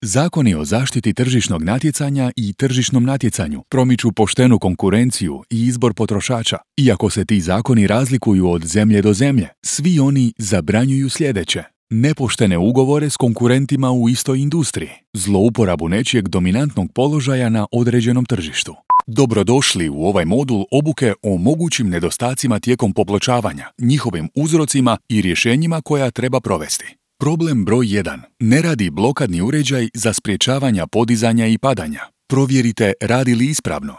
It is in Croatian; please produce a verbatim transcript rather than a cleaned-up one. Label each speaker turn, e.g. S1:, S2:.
S1: Zakoni o zaštiti tržišnog natjecanja i tržišnom natjecanju promiču poštenu konkurenciju i izbor potrošača. Iako se ti zakoni razlikuju od zemlje do zemlje, svi oni zabranjuju sljedeće: nepoštene ugovore s konkurentima u istoj industriji, zlouporabu nečijeg dominantnog položaja na određenom tržištu. Dobrodošli u ovaj modul obuke o mogućim nedostacima tijekom popločavanja, njihovim uzrocima i rješenjima koja treba provesti. Problem broj jedan. Ne radi blokadni uređaj za sprječavanja podizanja i padanja. Provjerite radi li ispravno.